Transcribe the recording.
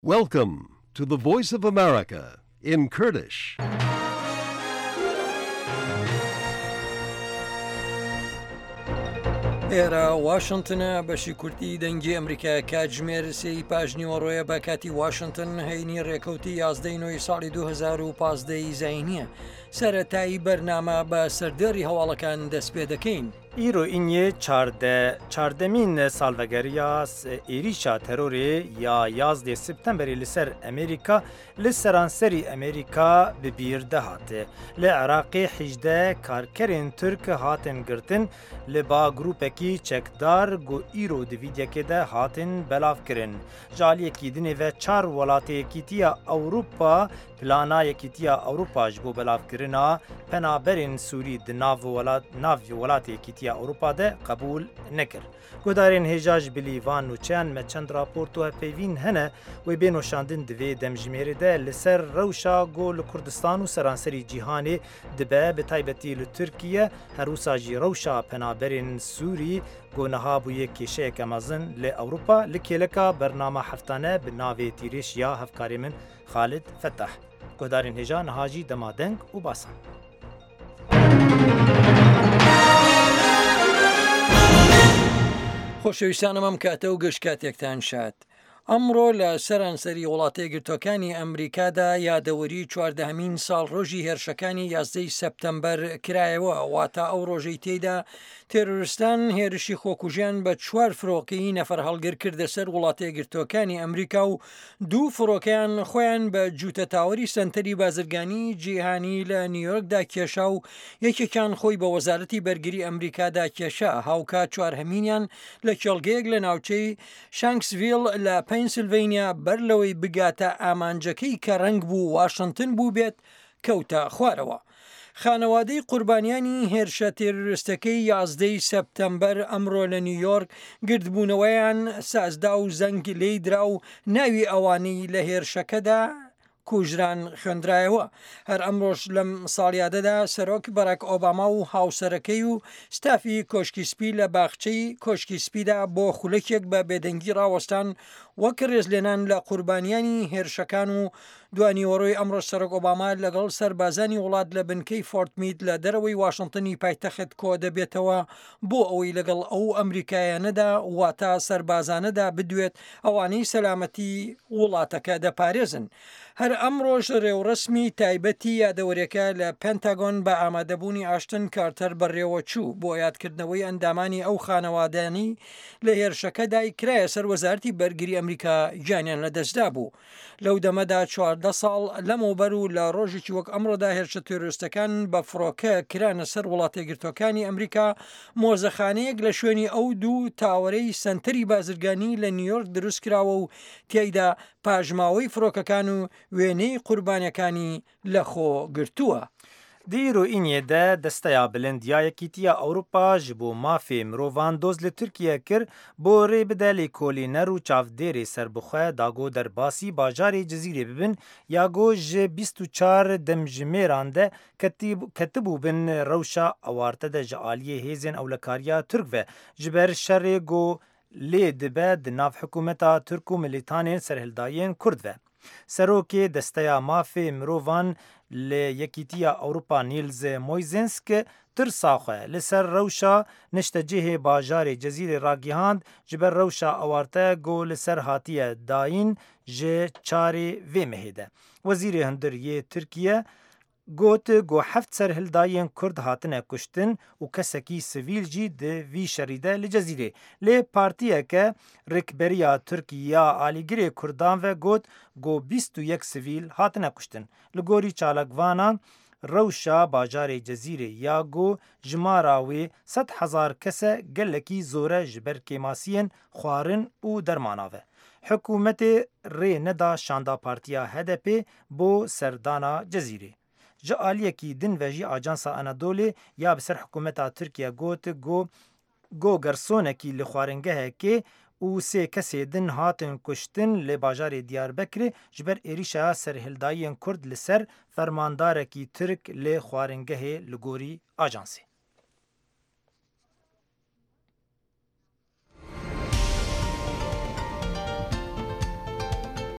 Welcome to the Voice of America in Kurdish. ئێرە واشنتنە بەشی کوردی دەنگی ئەمریکا کاتژمێر سێی پاژنیوەڕۆیە بە کاتی واشنتن هەینی ڕێکەوتی یازدەی نۆی ساڵی 2015 زینیە سەرەتایی بەرنامە بە سەردێڕی هەواڵەکان دەست پێ دەکەین. Îro îniyê çarde çardemîn salvegeriya êrîşa terorê ya yazdê Septemberê li ser Amerîka li seranserî Amerîka bi bîr dihat. Li Iraqê 18 karkerên Tirk hatin girtin li ba grûpekî çekdar ku îro di vîdyekê de hatin belavkirin. Ji aliyekî dinê ve çar welatê Yekîtiya Ewropa Plana Yekîtiya Ewropa ji bo belavkirina penaberên Sûrî di nav welat nav welatê Yekîtiya Ewropa de qebûl nekir. Guhdarên hêja ji bilî van nûçeyan me çend raport û hevpeyvîn hene wê bên weşandin di vê demjimêrê de li ser rewşa ku li Kurdistan û seranserî cîhanê dibe bi taybetî li Tirkiye her wisa jî rewşa penaberên Sûrî ku niha bûye kêşeyeke mezin li Ewropa li kêleka bernama heftane bi navê Tîrêj ya hevkarê min Xalid Fetah. Guhdarên hêja niha jî dema deng û basan. خۆشەویستانم ئەم کاتە و گشت کاتێکتان شاد. ئەمڕۆ لە سەرانسەری وڵاتەیەکگرتووەکانی ئەمریکادا یادەوەری چواردەهەمین ساڵڕۆژی هێرشەکانی یازدەی سەپتەمبەر کرایەوە، واتە ئەو ڕۆژەی تێیدا تێرۆرستان هێرشی خۆکوژیان بە چوار فرۆکەی نەفەرهەڵگر کردە سەر وڵاتەیەکگرتووەکانی ئەمریکا و دوو فڕۆکەیان خۆیان بە جووتە تاوەری سەنتەری بازرگانی جیهانی لە نیویۆرکدا کێشا و یەکێکیان خۆی بە وەزارەتی بەرگری ئەمریکادا کێشا، هاوکات چوارهەمینیان لە کێڵگەیەک لە ناوچەی شانکسڤیل لە پەنسلڤەینیا بەر لەوەی بگاتە ئامانجەکەی کە ڕەنگ بوو واشنتن بووبێت کەوتە خوارەوە. خانەوادەی قوربانیانی هێرشە تێرۆریستەکەی یازدەی سەپتەمبەر ئەمڕۆ لە نیویۆرک گردبوونەوەیان سازدا و زەنگ لێی درا و ناوی ئەوانەی لە هێرشەکەدا کوژران خوێندرایەوە. هەر ئەمڕۆش لەم ساڵیادەدا سەرۆک بەراک ئۆباما و هاوسەرەکەی و ستافی کۆشکی سپی لە باخچەی کۆشکی سپیدا بۆ خولەکێک بە بێدەنگی ڕاوەستان وەک ڕێزلێنان لە قوربانیانی هێرشەکان و دوانیوەڕۆی ئەمڕۆش سەرۆک ئۆباما لەگەڵ سەربازانی وڵات لە بنکەی فۆرت مید لە دەرەوەی واشنتنی پایتەخت کۆدەبێتەوە بۆ ئەوەی لەگەڵ ئەو ئەمریکایانەدا واتە سەربازانەدا بدوێت ئەوانەی سەلامەتی وڵاتەکە دەپارێزن. هەر ئەمڕۆش رێوڕەسمی تایبەتی یادەوەریەکە لە پێنتاگۆن بە ئامادەبوونی ئاشتن کارتەر بەڕێوەچوو بۆ یادکردنەوەی ئەندامانی ئەو خانەوادانەی لە هێرشەکەدای کرایە سەر وەزارەتی بەرگری ئەمریکا گیانیان لەدەستدابوو. لەو دەمەدا 14 ساڵ لەمەوبەر و لە ڕۆژێکی وەک ئەمڕۆدا هێرشە تێرۆریستەکان بە فڕۆکە کرانە سەر وڵاتەیەکگرتووەکانی ئەمریکا، مۆزەخانەیەک لە شوێنی ئەو دوو تاوەرەی سەنتەری بازرگانی لە نیویۆرک دروستکراوە و تیایدا پاشماوەی فڕۆکەکان و وێنەی قوربانیەکانی لەخۆ گرتووە. Di îro îniyê de Desteya Bilind ya Yekîtiya Ewropa ji bo mafê mirovan doz li Tirkiye kir bo rê bide lêkolîner û çavdêrê serbixwe da ku derbasî bajarê Cizîrê bibin ya ku ji 24 demjimêran de ketibû bin rewşa awarte de ji aliyê hêzên ewlekariya Tirk ve ji ber şerê ku lê dibe di nav hikûmeta Tirk û milîtanên serhildayên Kurd ve. Serokê Desteya Mafê Mirovan li Yekîtiya Ewropa Nils Muižnieks tirsa xwe li ser rewşa niştecihê bajarê Cezîrê ragihand ji ber rewşa awarte ku li ser hatiye dayîn ji çarê vê mehê de. Wezîrê Hundir yê Tirkiye got ku heft serhildayên Kurd hatine kuştin û kesekî sivîl jî di vî şerî de li Cezîrê. Lê partiyeke rikberiya Tirk ya alîgirê Kurdan ve got ku 21 sivîl hatine kuştin. Li gorî çalakvanan rewşa bajarê Cezîrê ya ku jimara wê 100,000 kes e gelekî zor e ji ber kêmasiyên xwarin û dermana ve. Hikûmetê rê neda şanda partiya HDP'ê bo serdana Cezîrê. Ji aliyekî din ve jî Ajansa Anadolê ya bi ser hikûmeta Tirkiye got ku go gersonekî li xwaringehekê û sê kesê din hatin kuştin li bajarê Diyarbekirê ji ber êrîşa serhildayiyên Kurd li ser fermandarekî Tirk li xwaringehê li gorî ajansê.